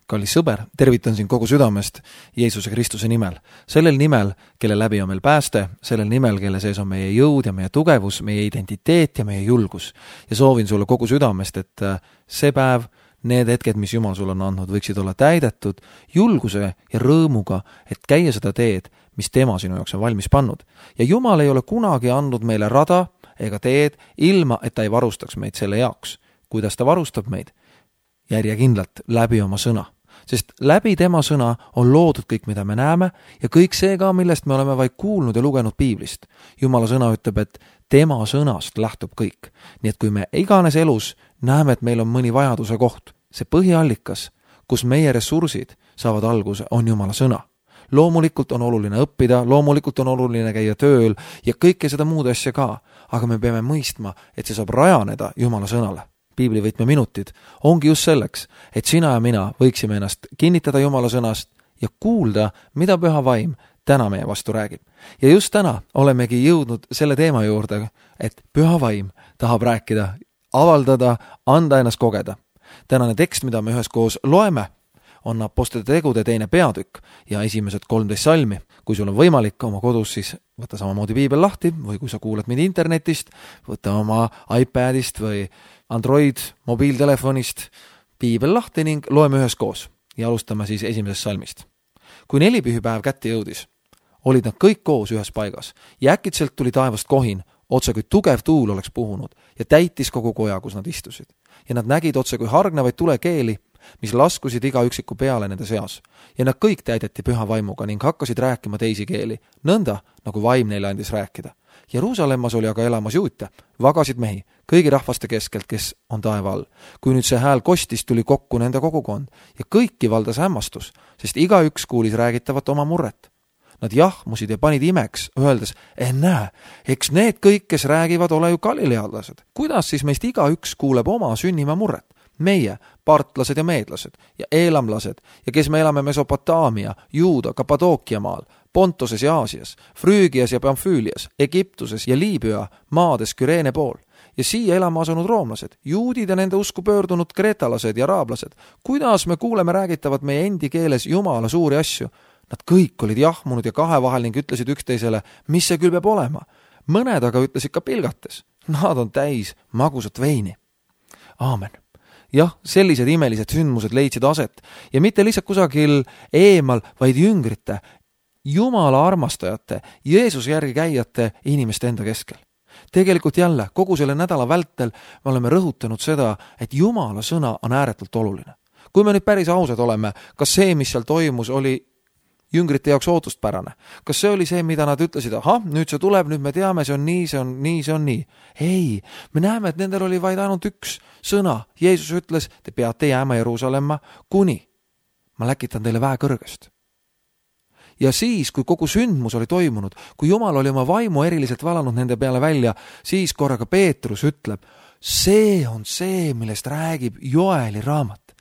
kallis sõber, tervitan sind kogu südamest Jeesuse Kristuse nimel. Sellel nimel, kelle läbi on meil pääste, sellel nimel, kelle sees on meie jõud ja meie tugevus, meie identiteet ja meie julgus. Ja soovin sulle kogu südamest, et see päev, need hetked, mis Jumal sulle on andnud, võiksid olla täidetud julguse ja rõõmuga, et käia seda teed, mis tema sinu jaoks on valmis pannud. Ja Jumal ei ole kunagi andnud meile rada ega teed, ilma et ta ei varustaks meid selle jaoks. Kuidas ta varustab meid? Järjekindlalt läbi oma sõna. Sest läbi tema sõna on loodud kõik, mida me näeme ja kõik see ka, millest me oleme vaid kuulnud ja lugenud piiblist. Jumala sõna ütleb, et tema sõnast lähtub kõik. Nii et kui me iganes elus näeme, et meil on mõni vajaduse koht, see põhiallikas, kus meie ressursid saavad alguse, on Jumala sõna. Loomulikult on oluline õppida, loomulikult on oluline käia tööl ja kõike seda muud asja ka, aga me peame mõistma, et see saab rajaneda Jumala sõnale. Piibli võtmeminutid ongi just selleks, et sina ja mina võiksime ennast kinnitada Jumala sõnast ja kuulda, mida Püha Vaim täna meie vastu räägib. Ja just täna olemegi jõudnud selle teema juurde, et Püha Vaim tahab rääkida, avaldada, anda ennast kogeda. Tänane tekst, mida me üheskoos loeme, on Apostlite tegude 2. peatükk ja esimesed 13 salmi. Kui sul on võimalik oma kodus, siis võta samamoodi piibel lahti või kui sa kuulad mind internetist, võta oma iPadist või Android mobiiltelefonist piibel lahti ning loeme üheskoos ja alustame siis esimesest salmist. Kui 4 pühipäev kätte jõudis, olid nad kõik koos ühes paigas ja äkitselt tuli taevast kohin, otse kui tugev tuul oleks puhunud ja täitis kogu koja, kus nad istusid. Ja nad nägid otse kui hargnevaid tulekeeli, mis laskusid iga üksiku peale nende seas. Ja nad kõik täideti Püha Vaimuga ning hakkasid rääkima teisi keeli, nõnda nagu Vaim neile andis rääkida. Jeruusalemmas oli aga elamas juute, vagasid mehi, kõigi rahvaste keskelt, kes on taeva all. Kui nüüd see hääl kostis, tuli kokku nende kogukond ja kõiki valdas hämmastus, sest igaüks kuulis räägitavat oma murret. Nad jahmusid ja panid imeks, öeldes, näe, eks need kõik, kes räägivad, ole ju galilealased. Kuidas siis meist igaüks kuuleb oma sünnimaa murret? Meie, partlased ja meedlased ja eelamlased ja kes me elame Mesopotaamia, Juuda, Kapadookia maal, Pontoses ja Aasias, Früügias ja Pamfüülias, Egiptuses ja Liibüa maades Küreene pool ja siia elama asunud roomlased, juudid ja nende usku pöördunud kreetalased ja araablased. Kuidas me kuuleme räägitavat meie endi keeles Jumala suuri asju? Nad kõik olid jahmunud ja kahevahel ning ütlesid üksteisele, mis see küll peab olema. Mõned aga ütlesid ka pilgates, nad on täis magusat veini. Aamen. Jah, sellised imelised sündmused leidsid aset ja mitte lihtsalt kusagil eemal, vaid jüngrite, Jumala armastajate, Jeesuse järgi käijate inimeste enda keskel. Tegelikult jälle, kogu selle nädala vältel me oleme rõhutanud seda, et Jumala sõna on ääretult oluline. Kui me nüüd päris ausad oleme, kas see, mis seal toimus, oli jüngrite jaoks ootustpärane? Kas see oli see, mida nad ütlesid, nüüd see tuleb, nüüd me teame, see on nii, see on nii, see on nii? Ei, me näeme, et nendel oli vaid ainult üks sõna. Jeesus ütles, te peate jääma Jeruusalemma, kuni ma läkitan teile väe kõrgest. Ja siis, kui kogu sündmus oli toimunud, kui Jumal oli oma vaimu eriliselt valanud nende peale välja, siis korraga Peetrus ütleb, see on see, millest räägib Joeli raamat.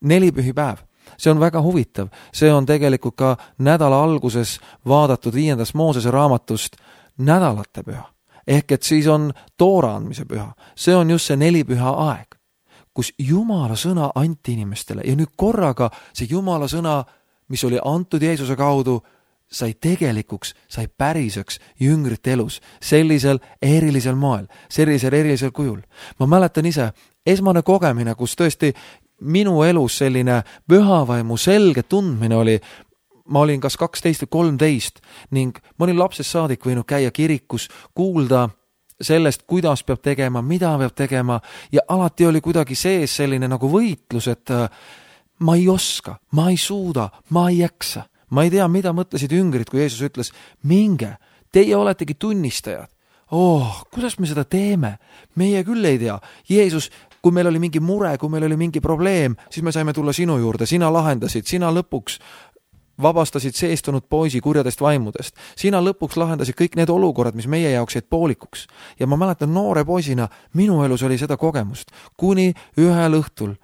4 pühipäev. See on väga huvitav. See on tegelikult ka nädala alguses vaadatud 5. Moosese raamatust nädalate püha. Ehk et siis on toora andmise püha. See on just see 4 püha aeg, kus Jumala sõna anti inimestele ja nüüd korraga see Jumala sõna, mis oli antud Jeesuse kaudu, sai tegelikuks, sai päriseks jüngrite elus, sellisel erilisel moel, sellisel erilisel kujul. Ma mäletan ise, esmane kogemine, kus tõesti minu elus selline pühavaimu selge tundmine oli, ma olin kas 12 või 13 ning ma olin lapsest saadik võinud käia kirikus, kuulda sellest, kuidas peab tegema, mida peab tegema ja alati oli kuidagi sees selline nagu võitlus, et ma ei oska, ma ei suuda, ma ei jaksa. Ma ei tea, mida mõtlesid jüngrid, kui Jeesus ütles, minge, teie oletegi tunnistajad. Kuidas me seda teeme? Meie küll ei tea. Jeesus, kui meil oli mingi mure, kui meil oli mingi probleem, siis me saime tulla sinu juurde, sina lahendasid, sina lõpuks vabastasid seestunud poisi kurjadest vaimudest. Sina lõpuks lahendasid kõik need olukorrad, mis meie jaoks jäid poolikuks. Ja ma mäletan noore poisina, minu elus oli seda kogemust, kuni ühel õhtul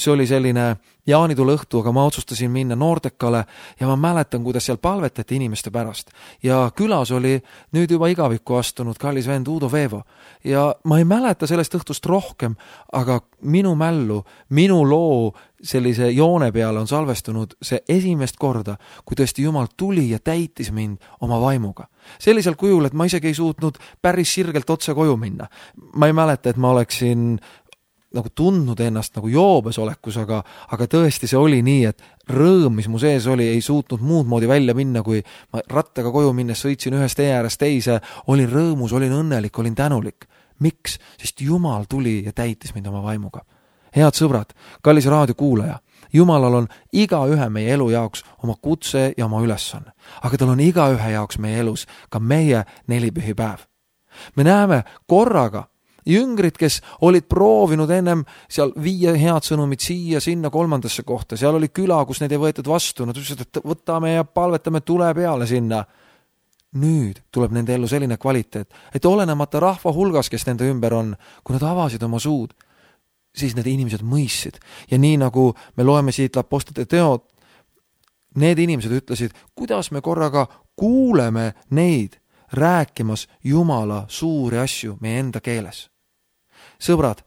see oli selline jaanitule õhtu, aga ma otsustasin minna Nordecale ja ma mäletan, kuidas seal palvetati inimeste pärast. Ja külas oli nüüd juba igavikku astunud kallis vend Udo Veevo. Ja ma ei mäleta sellest õhtust rohkem, aga minu mällu, minu loo sellise joone peale on salvestunud see esimest korda, kui tõesti Jumal tuli ja täitis mind oma vaimuga. Sellisel kujul, et ma isegi ei suutnud päris sirgelt otse koju minna. Ma ei mäleta, et ma oleksin nagu tundnud ennast nagu joobes olekus, aga tõesti see oli nii, et rõõm, mis mu sees oli, ei suutnud muud moodi välja minna, kui ma rattaga koju minnes sõitsin ühest tee äärest teise, olin rõõmus, olin õnnelik, olin tänulik. Miks? Sest Jumal tuli ja täitis mind oma vaimuga. Head sõbrad, kallis raadiokuulaja, Jumalal on igaühe meie elu jaoks oma kutse ja oma ülesanne, aga tal on igaühe jaoks meie elus ka meie nelipühipäev. Me näeme korraga jüngrid, kes olid proovinud ennem seal viia head sõnumid siia, sinna, kolmandasse kohta. Seal oli küla, kus neid ei võetud vastu. Nad ütlesid, et võtame ja palvetame, tule peale sinna. Nüüd tuleb nende ellu selline kvaliteet, et olenemata rahva hulgas, kes nende ümber on, kui nad avasid oma suud, siis need inimesed mõistsid. Ja nii nagu me loeme siit Apostlite teod, need inimesed ütlesid, kuidas me korraga kuuleme neid rääkimas Jumala suuri asju meie enda keeles. Sõbrad,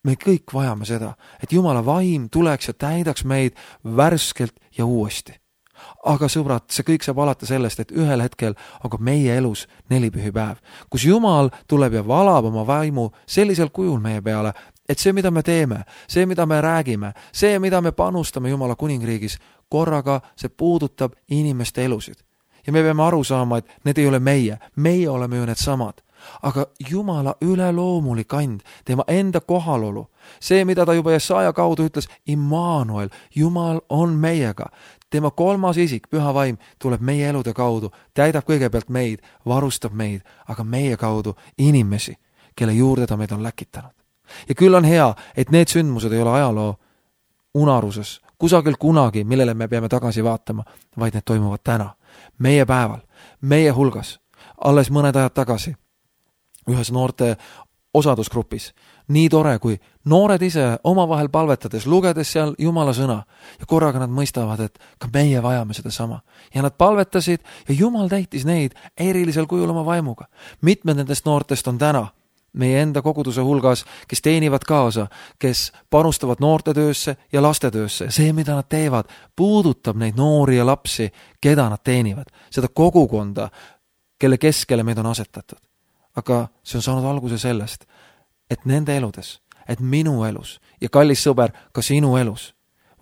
me kõik vajame seda, et Jumala vaim tuleks ja täidaks meid värskelt ja uuesti. Aga sõbrad, see kõik saab alata sellest, et ühel hetkel on ka meie elus nelipühipäev, kus Jumal tuleb ja valab oma vaimu sellisel kujul meie peale, et see, mida me teeme, see, mida me räägime, see, mida me panustame Jumala kuningriigis, korraga see puudutab inimeste elusid. Ja me peame aru saama, et need ei ole meie oleme ju need samad. Aga Jumala üleloomulik and, tema enda kohalolu, see, mida ta juba Jesaja kaudu ütles, Immanuel, Jumal on meiega. Tema kolmas isik, püha vaim, tuleb meie elude kaudu, täidab kõigepealt meid, varustab meid, aga meie kaudu inimesi, kelle juurde ta meid on läkitanud. Ja küll on hea, et need sündmused ei ole ajaloo unaruses, kusagil kunagi, millele me peame tagasi vaatama, vaid need toimuvad täna, meie päeval, meie hulgas, alles mõned ajad tagasi, ühes noorte osadusgrupis. Nii tore, kui noored ise omavahel palvetades, lugedes seal Jumala sõna ja korraga nad mõistavad, et ka meie vajame seda sama. Ja nad palvetasid ja Jumal täitis neid erilisel kujul oma vaimuga. Mitmed nendest noortest on täna meie enda koguduse hulgas, kes teenivad kaasa, kes panustavad noortetöösse ja lastetöösse. See, mida nad teevad, puudutab neid noori ja lapsi, keda nad teenivad. Seda kogukonda, kelle keskele meid on asetatud. Aga see on saanud alguse sellest, et nende eludes, et minu elus ja kallis sõber, ka sinu elus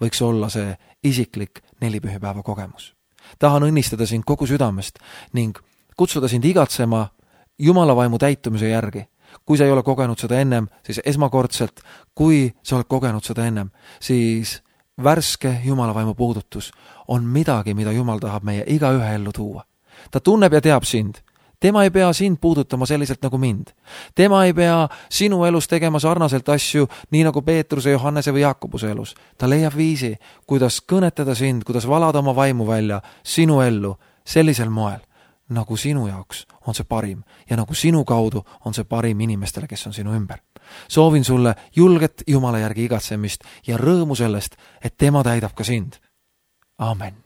võiks olla see isiklik nelipühipäeva kogemus. Tahan õnnistada sind kogu südamest ning kutsuda sind igatsema Jumala vaimu täitumise järgi. Kui sa ei ole kogenud seda ennem, siis esmakordselt, kui sa oled kogenud seda ennem, siis värske Jumala vaimu puudutus on midagi, mida Jumal tahab meie igaühe ellu tuua. Ta tunneb ja teab sind. Tema ei pea sind puudutama selliselt nagu mind. Tema ei pea sinu elus tegema sarnaselt asju, nii nagu Peetruse, Johannese või Jaakobuse elus. Ta leiab viisi, kuidas kõnetada sind, kuidas valada oma vaimu välja sinu ellu sellisel moel, nagu sinu jaoks on see parim ja nagu sinu kaudu on see parim inimestele, kes on sinu ümber. Soovin sulle julget Jumala järgi igatsemist ja rõõmu sellest, et tema täidab ka sind. Amen.